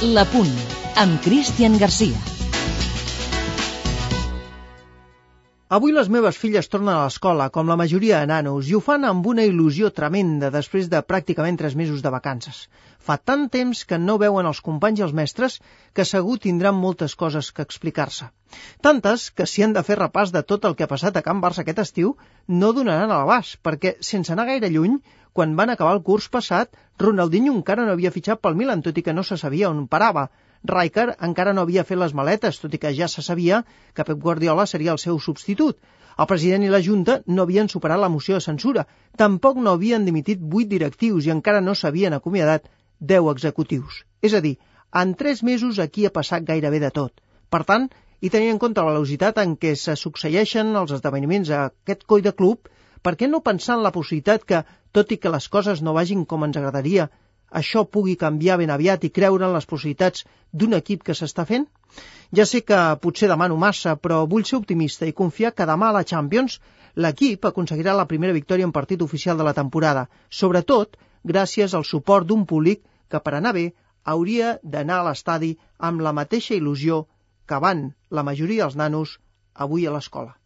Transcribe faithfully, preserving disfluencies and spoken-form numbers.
La Punt, amb Cristian Garcia. Avui les meves filles tornen a l'escola, com la majoria de nanos, i ho fan amb una il·lusió tremenda després de pràcticament tres mesos de vacances. Fa tant temps que no veuen els companys i els mestres que segur tindran moltes coses que explicar-se. Tantes que si han de fer repàs de tot el que ha passat a Can Barça aquest estiu, no donaran a l'abast, perquè sense anar gaire lluny, quan van acabar el curs passat, Ronaldinho encara no havia fitxat pel Milan, tot i que no se sabia on parava. Rijkaard encara no havia fet les maletes, tot i que ja se sabia que Pep Guardiola seria el seu substitut. El president i la Junta no havien superat la moció de censura, tampoc no havien dimitit vuit directius i encara no s'havien acomiadat deu executius. És a dir, en tres mesos aquí ha passat gairebé de tot. Per tant, i tenint en compte la velocitat en què se succeeixen els esdeveniments a aquest coll de club, per què no pensar en la possibilitat que, tot i que les coses no vagin com ens agradaria, això pugui canviar ben aviat i creure en les possibilitats d'un equip que s'està fent? Ja sé que potser demano massa, però vull ser optimista i confiar que demà a la Champions l'equip aconseguirà la primera victòria en partit oficial de la temporada, sobretot gràcies al suport d'un públic que, per anar bé, hauria d'anar a l'estadi amb la mateixa il·lusió que van la majoria dels nanos avui a l'escola.